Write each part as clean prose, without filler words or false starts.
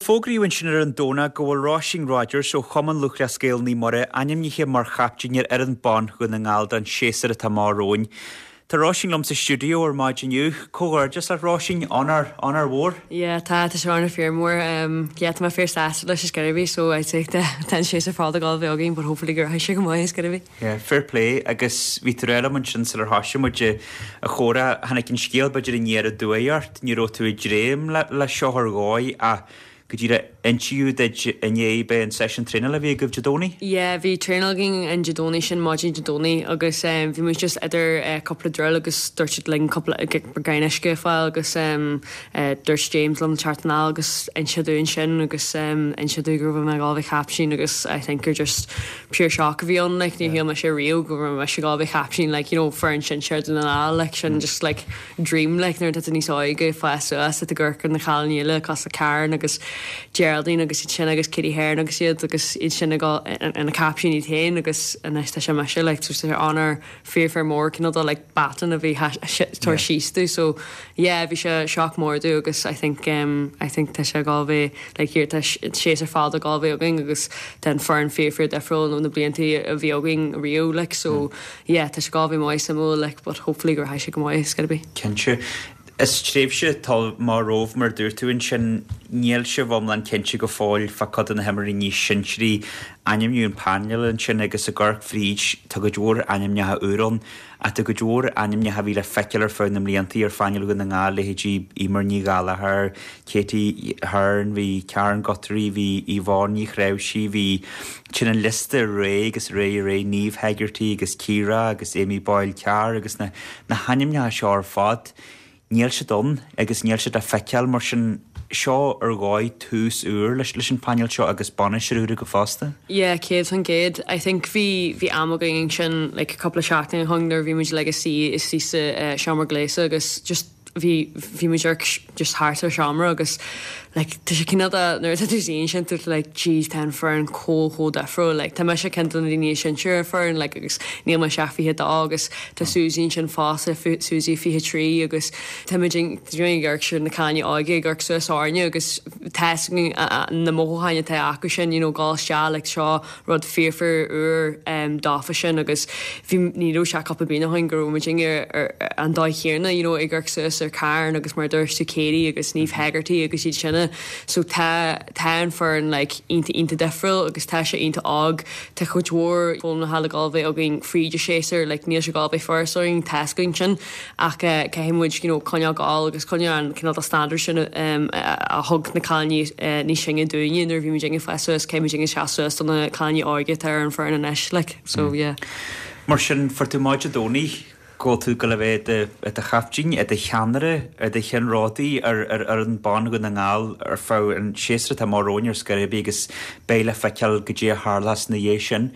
fógraíodh ansin ar an Domhnach go bhfuil Róisín Rodgers ó Chumann Lúthchleas Gael Naomh Muire ainmnithe mar chaiptín ar fhoireann ban Dhún na nGall don séasúr atá amach romhainn. Tá Róisín liom sa stiúideo ar maidin inniu. Comhghairdeas leat Róisín, onóir, onóir mhór. Yeah, tá, tá sé onóir fíor mór. Yeah, tá mé fíor sásta leis ar scor ar bith, so I'd say tá an séasúr fada ag dul a bheith againn but hopefully go rachaidh sé go maith ar scor ar bith. Yeah, fair play agus bhí tú ag rá liom ansin sular thoisigh muid an chomhrá, tháinig an scéal b'fhéidir aniar aduaidh ort, ní raibh tú ag dréim le seo ar dhóigh ach go díreach insíodh duit inné b'é an seisiún traenála a bhí agaibh Dé Domhnaigh? Yeah, bhí traenáil againn an Dé Domhnaigh sin, maidin Dé Domhnaigh agus bhí muid just idir cúpla drill agus dúirt siad linn cúpla braon uisce a fháil agus dúirt James liom teacht anall agus inse dúinn sin agus inse dúinn go raibh mé ag dul a bheith captaen agus I think gur just pure shock a bhí ann like níor shíl mise riamh go raibh mise ag dul a bheith captaen like you know foireann sinsear Dún na nGall like sin just like dream like nuair atá tú níos óige ag fás suas ag amharc ar na cailíní eile cosúil le Karen agus Geraldine agus iad sin agus Katie Heron agus iad agus iad sin ag dul ina captaein iad féin agus anois tá sé mise like so tá sé onóir fíor fíor mór cineál de like baton a bhí tabhairt síos domh so yeah bhí sé shock mór domh agus I think um I think tá sé ag dul a bheith like here tá séasúr fada ag dul a bheith againn agus tá an foireann fíor fíor difriúil ó na blianta a bhí againn riamh like so Yeah, tá sé ag dul a bheith maith suimiúil like but hopefully go rachaidh sé go maith, it's gotta be. Cinnte. Is tréimhse atá amach romhaibh mar a dúirt tú ansin, níl sibh iomlán cinnte go fóill fá cuid de na himreoirí níos sinsearaí. Ainmníodh an painéal ansin agus ag amharc fríd, tá cuid mhór ainmneacha úr ann ach tá cuid mhór ainmneacha a bhí le feiceáil ar feadh na mblianta ar phainéal Dhún na nGall, leithéidí Eimear Ní Ghallchóir, Katie Hearn, bhí Karen Guthrie, bhí Yvonne Ní Chnáimhsí, bhí, téann an liosta ar aghaidh agus ar aghaidh ar aghaidh, Niamh Hegarty agus Ciara agus Amy Boyle Carr agus na na hainmneacha seo ar fad, níl siad ann agus níl siad le feiceáil mar sin seo ar dhóigh tús úr leis leis an phainéal seo agus bainisteoir úr agaibh fosta. Yeah, 100%. I think bhí bhí am againn ansin like cúpla seachtain ó shin nuair a bhí muid like ag suí istigh sa seomra gléasta agus just bhí bhí muid ar just thart ar seomra agus like tá sé cineál de nuair atá tú suí ansin tá tú like jeez tá an foireann chomh chomh difriúil like tá mise ceann de na daoine is sinsear ar an foireann like agus níl mise ach 22 agus tá Susie ansin fosta Susie 23 agus tá muid ag amharc ar na cailíní óga ag amharc suas orainne agus tá a fhios againn na mothúcháin atá acu sin you know gabháil isteach like seo rud fíor fíor úr dófa sin agus bhí ní raibh sé cúpla bliain ó shin go raibh muid ar an dóigh chéanna you know ag amharc suas ar Karen agus mar a dúirt tú Katie agus Niamh Hegarty agus iad sin so tá tá an foireann like iontach iontach difriúil agus tá sé iontach óg tá cuid mhór foghlama le gabháil bheith againn fríd an séasúr like níl sé gabháil bheith furast orainn tá a fhios againn sin Ach caithfidh muid you know coinneáil ag gabháil agus coinneáil an cineál de standard sin a thug na cailíní níos sine dúinne nuair a bhí muid ag fás suas, caithfidh muid seasamh suas do na cailíní óga atá ar an foireann anois like so yeah. Mar sin, fuair tú amach Dé Domhnaigh go bhfuil tú ag gabháil a bheith i do chaiptín, i do cheannaire, i do cheannródaí ar fhoireann ban Dhún na nGall ar feadh an séasúr atá amach romhainn ar scor ar bith agus beidh le feiceáil goidé a tharlós ina dhiaidh sin.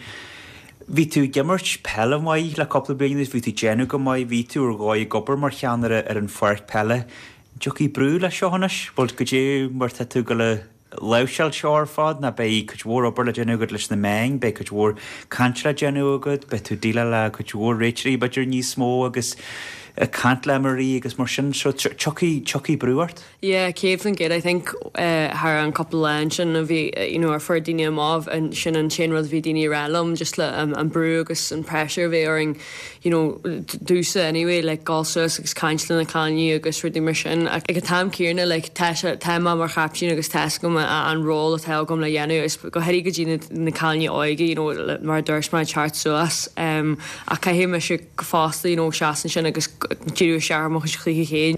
Bhí tú ag imirt peile maith le cúpla bliain anuas, bhí tú ag déanamh go maith, bhí tú ar dhóigh ag obair mar cheannaire ar an pháirc peile. An dtiocfaidh brú leis seo anois? Bhuel, goidé mar tá tú ag gabháil a láimhseáil seo ar fad, nó beidh cuid mhór obair le déanamh agat leis na meáin, beidh cuid mhór cainte le déanamh agat, beidh tú ag déileáil le cuid mhór réiteoirí b'fhéidir níos mó agus ag caint le imreoirí agus mar sin, so tiocfaidh, tiocfaidh brú ort. Yeah, 100% I think thar an cúpla lá ansin a bhí you know ar fuair daoine amach sin an t-aon rud a bhí daoine ag rá liom just le an brú agus an pressure a bhí orainn you know domhsa anyway like gabháil suas agus caint le na cailíní agus rudaí mar sin ach ag an t-am céanna like tá sé tá mé mar chaiptín agus tá fhios agam an ról atá agam le dhéanamh is go háirithe go dtí na na cailíní óige you know mar a dúirt mé teacht suas um ach caithfidh mise fosta you know seasamh ansin agus díriú isteach ar mo chuid chluiche féin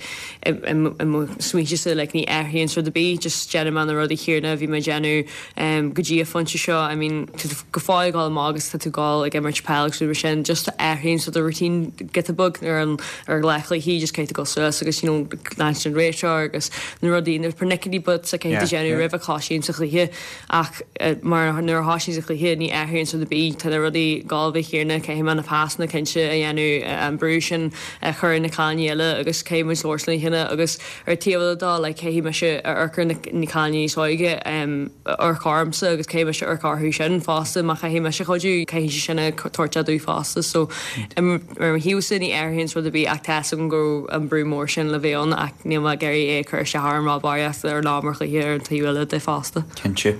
i mo smaointese like ní athraíonn rud ar bith just déanfaidh mé na rudaí céanna a bhí mé ag déanamh go dtí an phointe seo I mean tá tú go fóill ag dul amach agus tá tú ag dul ag imirt peil agus rudaí mar sin just athraíonn sort of routine giota beag ar an ar lá chluichí just caithfidh tú dul suas agus you know leanstan an réiteoir agus na rudaí na pernickety bits a caithfidh tú déanamh roimh a thosaíonn sa chluiche Ach mar nuair a thosaíonn sa chluiche ní athraíonn rud ar bith, tá na rudaí ag gabháil a bheith céanna, caithfidh mé na pasanna cinnte a dhéanamh, an brú sin a. chur ar na cailíní eile agus caithfidh muid labhairt lena chéile agus ar an taobh eile dó like caithfidh mise amharc ar na cailíní níos óige amharc ormsa agus caithfidh mise amharc orthu sin fosta má chaithfidh mise cuidiú caithfidh siad sin a tabhairt domh fosta so ar mo thaobhsa ní athraíonn rud ar bith ach tá fhios agam go raibh an brú mór sin le bheith ann ach níl mé ag iarraidh é a chur isteach orm rá barraíocht ar lá mar chluiche ar an taobh eile de fosta. Cinnte.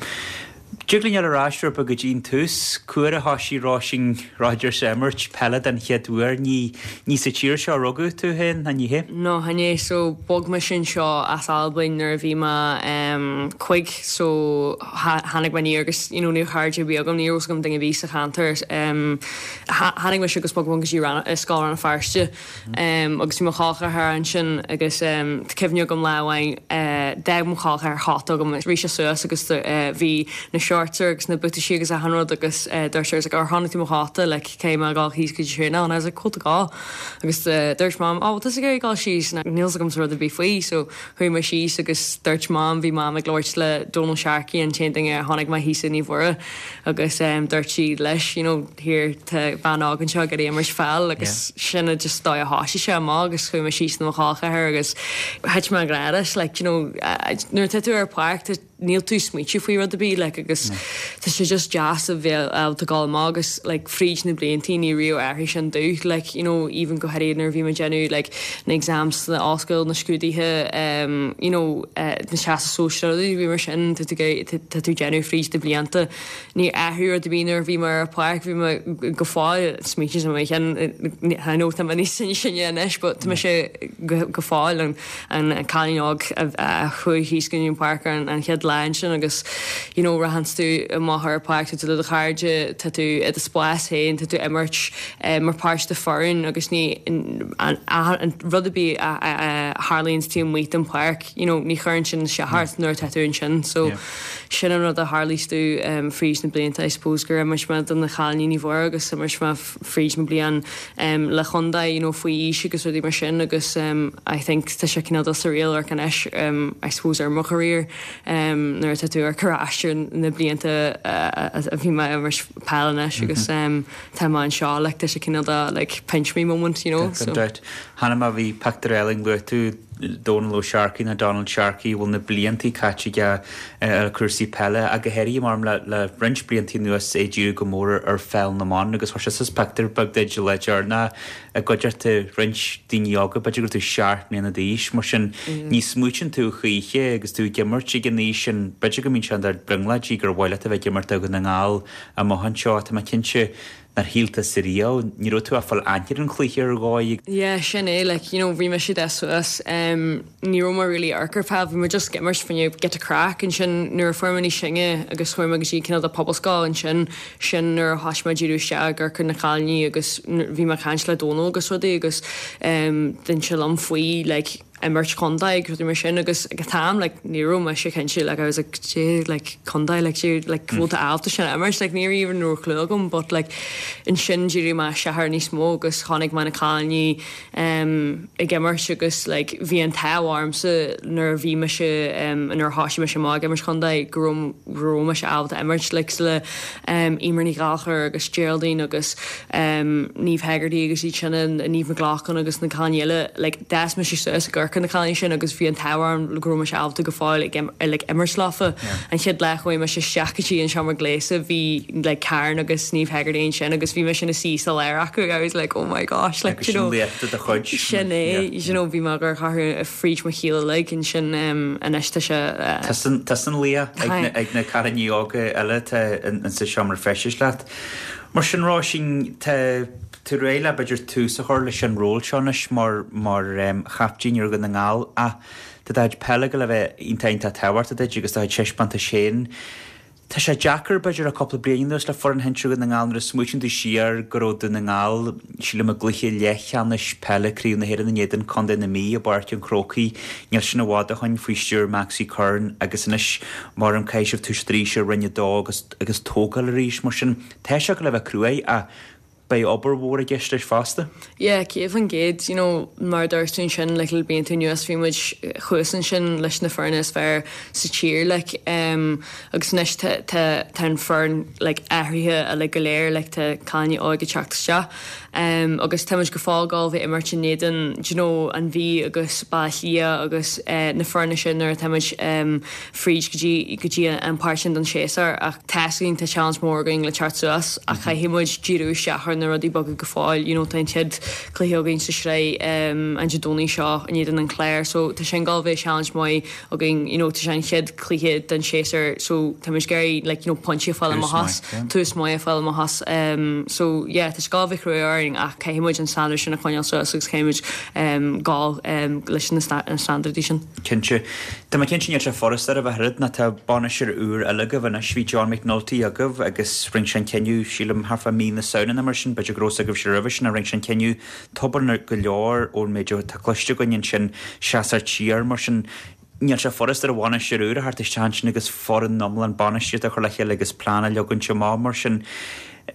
Dtig linn dul ar ais rud beag go dtí an tús. Cá huair a thoisigh Róisín Rodgers ag imirt peile den chéad uair? Ní ní sa tír seo a rugadh tú féin, an ea? No, chan ea. So, bhog mise anseo as Albain nuair a bhí mé em cuig so tháinig mé aniar agus you know ní raibh cairde ar bith agam, ní raibh fhios agam duine ar bith sa cheantar. Em tháinig mise agus bhog mé go dtí Scoil Rann na Feirste. Agus bhí mo chol ceathar ansin agus tá cuimhne agam lá amháin d'fhág mo chol ceathar cóta agam rith sé suas agus bhí na shorts air agus na buataisí agus achan rud agus dúirt sé like ar chonaic tú mo chóta like caithfidh mé dul thíos go dtí traenáil and I was like cóta go agus dúirt mam oh bhfuil tusa ag iarraidh dul síos and níl fhios agamsa rud ar bith faoi so chuaigh mé síos agus dúirt mam bhí mam ag labhairt le Donal Sharkey an t-aon duine a chonaic mé thíos i Naomh Mhuire agus dúirt sí leis you know here tá bean óg anseo ag iarraidh imirt pheil agus sin a just dóigh a thoisigh sé amach agus chuaigh mé síos le mo chol ceathar agus thit mé i ngrá leis like you know nuair atá tú ar páirc tá níl tú ag smaoitiú faoi rud ar bith like agus tá sé just deas a bheith ábalta dul amach agus like fríd na bliantaí ní raibh athraigh sin domh like you know even go háirithe nuair a bhí mé ag déanamh like na exams sna ollscoil na scrúduithe um you know uh na teastas sóisearach rudaí bhí mar sin tá tú tá tú ag déanamh fríd na blianta Níor athraigh rud ar bith nuair a bhí mé ar an pháirc, bhí mé go fóill, smaoiním ar mo cheann, I know tá mé níos sine anois but tá mise go fóill an an cailín óg a chuaigh thíos go dtí an páirc ar an chéad lá ansin agus you know rachanns tú amach ar an pháirc, tá tú le do chairde, tá tú i do spás féin, tá tú ag imirt mar páirt de foireann agus ní an rud ar bith a tharlaíonn taobh amuigh den pháirc you know ní chuireann sin isteach ort nuair atá tú ansin so Sin an rud a tharlaíos domh fríd na blianta I suppose gur imirt mé do na cailíní Naomh Mhuire agus imirt mé fríd mo bliain le chontae you know faoi aois agus rudaí mar sin agus I think tá sé cineál de surreal amharc anois I suppose ar mo career nuair atá tú ag amharc ar ais ar na blianta a bhí mé ag imirt peil anois agus tá mé anseo like tá sé cineál de like pinch me moment you know so. Gan dabht. Cheana má bhí pictiúr eile luaigh tú Dónal Ó Searcaigh nó Donald Sharkey a bhfuil na bliantaí caite aige ar chúrsaí peile ach go háirithe mar le le roinnt bliantaí anuas é ag díriú go mór ar pheil na mban agus chuir sé suas pictiúr beag duit le deireanach i gcuideachta roinnt daoine óga, b'fhéidir go raibh tú seacht mbliana d'aois, mar sin ní smaoitíonn tú choíche agus tú ag imirt ag an aois sin, b'fhéidir go mbíonn sé idir brionglóidí gur mhaith leat a bheith ag imirt do Dhún na nGall amach anseo, tá mé cinnte. Nár shíl tusa riamh, ní raibh tú ach fáil aithne ar an chluiche ar dhóigh. Yeah, sin é, like, you know, bhí mise ag fás suas, em, ní raibh mé really ag amharc ar peil, bhí mé just ag imirt fá choinne giota craic, ansin nuair a fuair mé níos sine agus chuaigh mé go dtí cineál de pobalscoil ansin, sin nuair a thoisigh mé ag díriú isteach ag amharc ar na cailíní agus bhí mé ag caint le Dónal agus rudaí agus, em, d'inis sé liom faoi, like, imirt chontae agus rudaí mar sin agus ag an t-am like ní raibh mise cinnte like I was like cad é like contae like cad é like bhfuil tú ábalta sin a imirt like ní raibh even raibh clue agam but like ansin dhírigh mé isteach air níos mó agus chonaic mé na cailíní um ag imirt agus like bhí an t-ádh ormsa nuair a bhí mise um nuair a thoisigh mise amach ag imirt chontae go raibh go raibh mise ábalta imirt like le um Eimear Ní Ghallchóir agus Geraldine agus um Niamh Hegarty agus iad sin Niamh McLaughlin agus na cailíní eile like D'fhás mise suas ag amharc ar na cailíní sin agus bhí an t-ádh orm go raibh mise ábalta go fóill ag like imirt leofa. An chéad lá a chuaigh mise isteach go dtí an seomra gléasa bhí like Karen agus Niamh Hegarty ansin agus bhí mise ina suí sa lár acu I was like oh my gosh like Agus you know sin laochra de chuid. Sin é you know bhí mé ag amharc orthu fríd mo shaol uilig ansin anois tá sé Tusa an laoch ag na cailíní óga eile atá insa seomra feistis leat. Mar sin Róisín tá tú réidh le b'fhéidir tús a chur leis an ról seo anois mar mar chaiptín ar Dhún na nGall ach tá do chuid peile ag gabháil a bheith iontach iontach tábhachtach duit agus do chuid taispeántais féin. Tá sé deacair b'fhéidir le cúpla bliain anuas le foireann shinsir Dhún na nGall nuair a smaoitíonn tú siar go raibh Dún na nGall, sílim i gcluiche leathcheannais peile Craobh na hÉireann in éadan Contae na Mí i bPáirc an Chrócaigh níl sin i bhfad ó shoin faoi stiúir Maxi Curran agus anois mar an caithfidh sibh toiseacht arís i Roinn 2 agus agus tógáil arís mar sin tá sé ag gabháil a bheith cruaidh ach. Beidh obair mhór i gceist leis fosta. Yeah, 100%, you know, mar a dúirt tú ansin, like, le blianta anuas bhí muid thuas ansin leis na foirne is fearr sa tír, like, em, agus anois tá, tá, tá an foireann, like, athraithe uilig go léir, like, tá cailíní óga ag teacht isteach, em, agus tá muid go fóill ag gabháil a bheith ag imirt in éadan, do you know, an Mhí agus Baile Átha Cliath agus, eh, na foirne sin nuair atá muid, em, fríd go dtí go dtí an páirt sin den séasúr ach tá 'fhios againn tá challenge mór againn le teacht suas ach caithfidh muid díriú isteach ar na rudaí beaga go fóill you know tá an chéad cluiche againn sa sraith um, an Dé Domhnaigh seo in éadan an Chláir so tá sin ag gabháil a bheith challenge maith againn you know tá sé an chéad cluiche den séasúr so tá muid ag iarraidh like you know pointí a fáil amach as tús maith a fáil amach as um, so yeah tá sé ag gabháil a bheith crua orainn ach caithfidh muid an standard sin a choinneáil suas agus caithfidh muid um, gabháil um, leis na standardaí sin. Cinnte. Tá mé cinnte níl sé furasta oraibh ach oiread nó tá bainisteoir úr eile agaibh anois. Bhí John McNulty agaibh agus rinne sé an cinneadh, sílim, thart fá mí na Samhna nó mar sin, b'fhéidir go raibh 'fhios agaibhse roimhe sin, ach rinne sé an cinneadh tobann go leor ón méid atá cloiste againn ansin, seasamh siar mar sin. Níl sé furasta ar bhainisteoir úr a theacht isteach ansin agus foireann iomlán bainistíochta a chur le chéile agus plean a leagaint amach mar sin.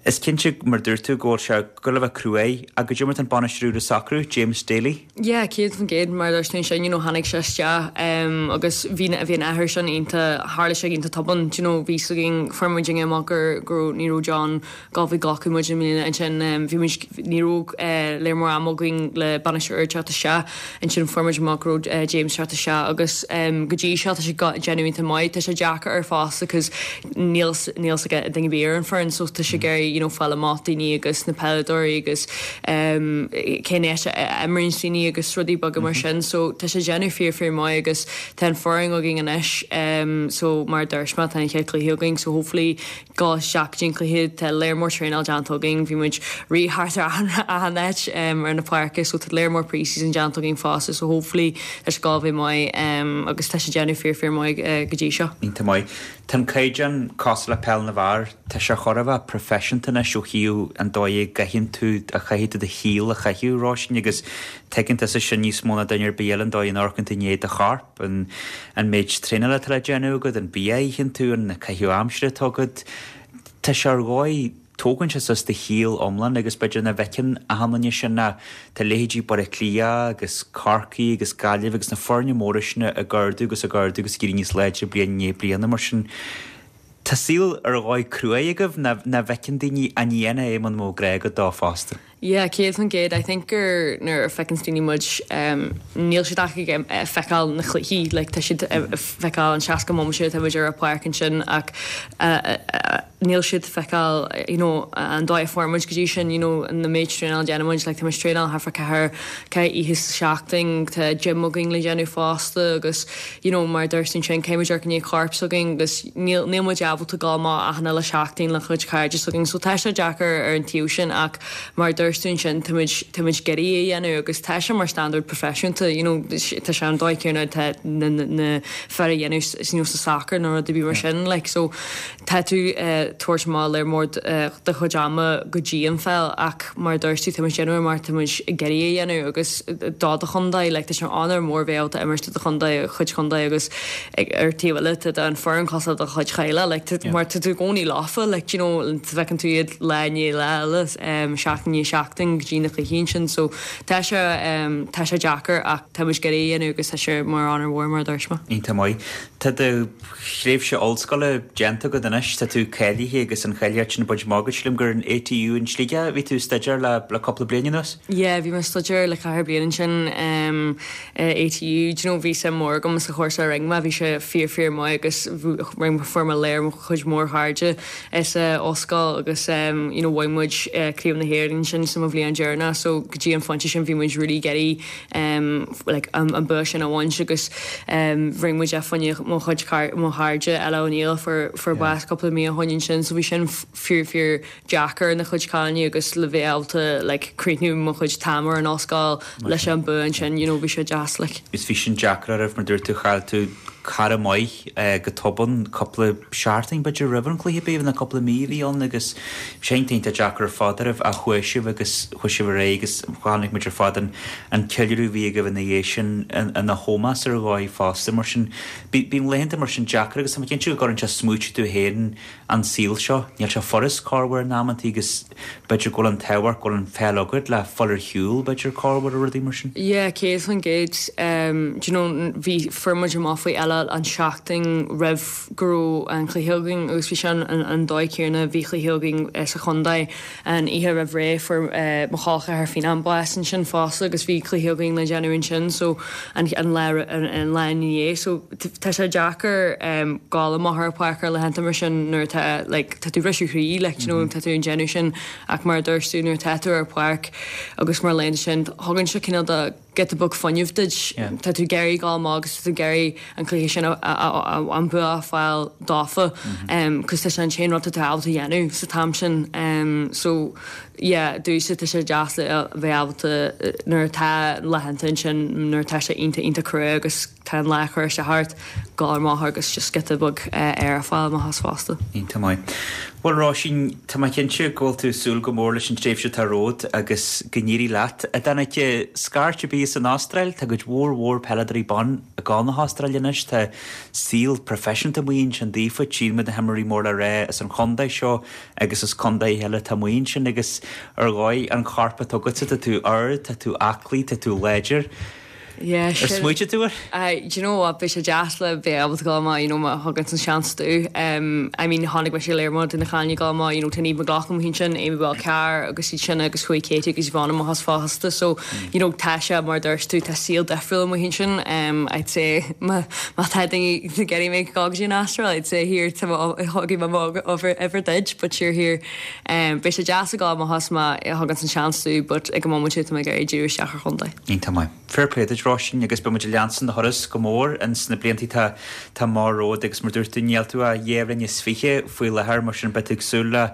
Is cinnte, mar a dúirt tú, go bhfuil sé ag goil a bheith cruaidh. Ach goidé mar atá an bainisteoir úr ag socrú, James Daly? Yeah, 100% mar a dúirt tú ansin, you know, tháinig sé isteach um, agus bhí bhí an athrú sin iontach, tharla sé iontach tobann, do you know, bhí 'fhios againn, fuair muid amach gur go raibh ní raibh John ag gabháil a bheith ag glacadh muid i mbliana ansin um, bhí muid ní raibh uh, léir mór ama againn le bainisteoir úr teacht isteach ansin fuair muid amach go raibh uh, James teacht isteach agus um, go dtí seo tá sé ag déanamh iontach maith, tá sé deacair air fosta cos níl níl 'fhios ag duine ar bith ar an foireann so tá sé ag iarraidh you know fáil amach daoine agus na peileadóirí agus um, cén áit a imríonn daoine agus rudaí beaga mar sin so tá sé déanamh fíor fíor maith agus tá an foireann againn anois um, so mar a dúirt mé tá an chéad cluiche againn so hopefully go isteach go dtí an cluiche tá léar mór traenáil déanta againn bhí muid rith thart ar achan áit um, ar na páirce so tá léar mór pre-season déanta againn fosta so hopefully tá sé ag gabháil a bheith maith um, agus tá sé déanamh fíor fíor maith uh, go dtí seo. Iontach maith. Tá an caighdeán cosúil le peil na bhfear, tá sé chóir a bheith proifisiúnta anois ó thaobh an dóigh a gcaitheann tú, a chaithfidh tú do shaol a chaitheamh, Róisín, agus tuigeann tusa sin níos mó ná duine ar bith eile, an dóigh a n-amharcann tú i ndiaidh do chorp, an an méid traenála atá le déanamh agat, an bia a itheann tú, an caitheamh aimsire atá agat. Tá sé ar dhóigh. Tógann sé suas do shaol iomlán agus b'fhéidir nach bhfeiceann achan duine sin ach tá leithéidí Baile Átha Cliath agus Corcaigh agus Gaillimh agus na foirne móra sin ag ardú agus ag ardú agus ag éirí níos láidre bliain i ndiaidh bliana mar sin tá saol ar dhóigh cruaidh agaibh nach bhfeiceann daoine ach ní dhéanfá é muna mbeadh grá agat dó fosta. Yeah, 100%. I think gur nuair a feiceanns daoine muid níl siad ach ag feiceáil na cluichí like tá siad ag feiceáil an 60 bomaite atá muid ar an pháirc ansin ach níl siad ag feiceáil you know an dóigh a fuair muid go dtí sin you know na méid traenáil a déanann muid like tá muid traenáil thart fá ceathair ceathair oíche sa seachtain tá gym againn le déanamh fosta agus you know mar a dúirt tú ansin caithfidh muid amharc i ndiaidh corp s'againn agus níl níl muid ábalta dul amach achan uile seachtain le cuid cairde s'againn so tá sé deacair ar an taobh sin ach mar a dúirt tú ansin tá muid tá muid ag iarraidh é a dhéanamh agus tá sé mar standard proifisiúnta you know tá sé an dóigh céanna atá na na na fir a dhéanamh you know sa soccer nó rud ar bith mar sin like so Tá tú ag tabhairt amach léar mór do chuid ama go dtí an pheil ach mar a dúirt tú, tá muid ag déanamh é mar tá muid ag iarraidh é a dhéanamh agus do do chontae, like tá sé onóir mór bheith ábalta imirt do do chontae, chuid chontae agus ar taobh eile tá an foireann cosúil le do chuid teaghlaigh, like mar tá tú i gcónaí leofa, like do you know feiceann tú iad lá i ndiaidh lá eile, seachtain i ndiaidh seachtain go dtí na cluichí ansin so tá sé tá sé deacair ach tá muid ag iarraidh é a dhéanamh agus tá sé mar onóir mhór mar a dúirt mé. Iontach maith. Tá do thréimhse ollscoile déanta agat anois, tá tú cáilithe agus an cháilíocht sin bainte amach agat. Sílim gur in ATU in Sligeach a bhí tú ag staidéar le le cúpla bliain anuas? Yeah, bhí mé ag staidéar le ceathair bliain ansin um ATU. Do you know, bhí suim mór agam sa chúrsa a rinne mé, bhí sé fíor fíor maith agus rinne fuair mé léar mo chuid mór chairde sa ollscoil agus um you know bhain muid Craobh na hÉireann ansin sa mo bhliain deireanach so go dtí an phointe sin bhí muid really ag iarraidh like an bua sin a bhaint agus rinne muid é fá choinne mo chuid mo chairde Ella O'Neill fuair fuair bás cúpla mí ó shoin ansin so bhí sin fíor fíor deacair na chuid cailíní agus le bheith ábalta like críochnú mo chuid t-am ar an ollscoil leis an bua ansin you know bhí sé deas like. Is bhí sin deacair oraibh mar dúirt tú chaill tú. cara maith go tobann cúpla seachtain b'fhéidir roimh an chluiche b'fhéidir nó cúpla mí a bhí ann agus sé iontach deacair ar fad oraibh ach chuaigh sibh agus chuaigh sibh ar aghaidh agus chonaic muid ar fad an an ceiliúradh a bhí agaibh ina dhiaidh sin ina hómós ar dhóigh fosta mar sin bíonn laethanta mar sin deacair agus tá mé cinnte go gcuireann sé smaointe tú féin an saol seo. Níl sé furast corruair in amantaí agus b'fhéidir go bhfuil an t-ádh ort go bhfuil an pheil agat le fáil ar shiúl b'fhéidir corruair nó rudaí mar sin. Yeah, 100%. Do you know, bhí, fuair muid amach faoi Ella an seachtain roimh go raibh an cluiche againn agus bhí sé an, an dóigh céanna, bhí cluiche againn sa chontae an oíche roimh ré, fuair mo chol ceathar Fionán bás ansin fosta agus bhí cluiche againn le déanamh ansin so an, an lá, an lá ina dhiaidh so tá sé deacair gabháil amach ar an pháirc ar laethanta mar sin nuair atá like tá tú briseadh chroí like do you know tá tú ag déanamh sin ach mar a dúirt tú nuair atá tú ar an pháirc agus mar laethanta sin thugann sé cineál de giota beag fuinnimh duit tá tú ag iarraidh gabháil amach agus tá tú ag iarraidh an cluiche sin an bua a fháil dófa cos tá sé an t-aon rud atá tú ábalta a dhéanamh sa t-am sin so yeah domhsa tá sé deas le bheith ábalta nuair atá laethanta ansin nuair atá sé iontach iontach crua agus Tá an lá ag cur isteach ort, gabháil amach agus just giota beag aer a fháil amach as fosta. Iontach maith. Bhuel Róisín, tá mé cinnte go bhfuil tú ag súil go mór leis an tréimhse atá romhat agus go n-éirí leat. A Danica, scairt ar bith as an Astráil, tá cuid mhór mhór peileadóirí ban ag gabháil na hAstráile anois, tá saol proifisiúnta amuigh ansin daofa, tchíonn muid na himreoirí mór le rá as an chontae seo agus as contaetha eile atá amuigh ansin agus ar dhóigh an corp atá agatsa, tá tú ard, tá tú aclaí, tá tú láidir. Yeah, Ar sin. smaoitigh tú air? Aye, do you know what, beidh sé deas le bheith ábalta gabháil amach, you know, má thugann an seans domh. Um, I mean, chonaic mise léir mór de na cailíní ag gabháil amach, you know, tá Niamh McLaughlin amuigh ansin, Amy Bell Carr agus iad sin agus chuaigh Katie agus Yvonne amach as fosta, so, you know, tá sé, mar a dúirt tú, tá saol difriúil amuigh ansin. Um, I'd say, má, má tá daoine ag iarraidh mé gabháil go dtí an Astráil, I'd say here, tá mo, thugfaidh mé mo uimhir duit, but sure here, um, beidh sé deas a gabháil amach as má thugann an seans domh, but ag an móimint tá mé ag iarraidh díriú isteach ar chontae. Iontach maith. Fair play duit Róisín agus beidh muid ag leanstan do thuras go mór ins na blianta atá atá amach romhat agus mar dúirt tú níl tú ach dhá bhliain is fiche faoi láthair mar sin beidh tú ag súil le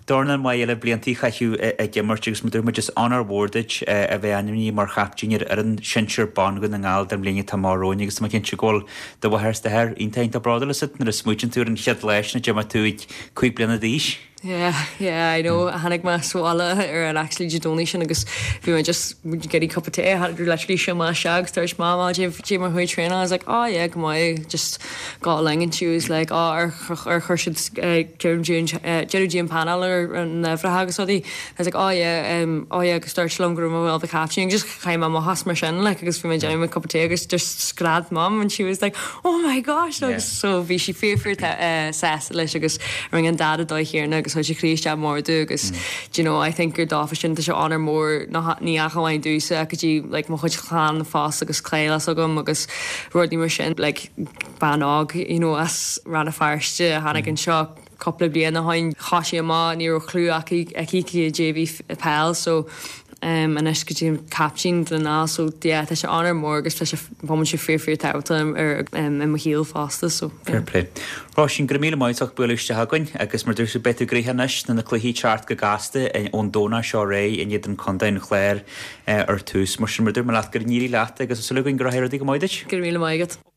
dornán maith eile blianta a chaitheamh ag imirt agus mar dúirt muid is onóir mhór duit a bheith ainmnithe mar chaiptín ar fhoireann sinsir ban Dhún na nGall don bhliain atá amach romhainn agus tá mé cinnte go bhfuil do mháthair is d'athair iontach iontach bródúil asat nuair a smaoitíonn tú ar an chéad lá sin a d'imir tú ag 5 bliana d'aois. Yeah, yeah, I know. Tháinig mé sa bhaile ar an actually Dé Domhnaigh sin agus bhí mé just getting cup of tea. Had literally seo mé isteach agus dúirt Mam, oh, cad é mar chuaigh traenáil. I was like, oh yeah, go maith, just got along and she was like, oh, ar ar chuir siad deireadh di an painéal ar na uimhreacha agus rudaí. I was like, oh yeah, um, oh yeah, agus dúirt sí liom go raibh mé well the captain just chaith mé amach as mar sin like agus bhí mé déanamh cup of tea agus just scread Mum and she was like, oh my gosh agus so bhí sí fíor fíor sásta leis agus rinne an dad an dóigh chéanna agus chuir sé croí isteach mór domh agus do you know I think gur dófa sin tá sé onóir mór ní ach amháin domhsa ach go dtí like mo chuid clann fosta agus cleamhnas agam agus rudaí mar sin like bean óg you know as Rann na Feirste a tháinig anseo cúpla bliain ó shin thosaigh amach ní raibh clue aici aici cad é bhí peil so um, anois go dtí an captaen den ná so yeah, tá sé onóir mór agus tá sé bhfuil sé fíor fíor tábhachtach ar um, i mo shaol fosta so yeah. Fair play. Róisín, go raibh míle maith as bualadh isteach againn agus mar dúirt tú beidh tú gnoitheach anois na na cluichí teacht go gasta ón Domhnach seo ar aghaidh in éadan Contae an Chláir ar tús. Mar sin mar dúirt mé leat go n-éirí leat agus tá súil againn go rachaidh rudaí go maith duit. Go raibh míle maith agat.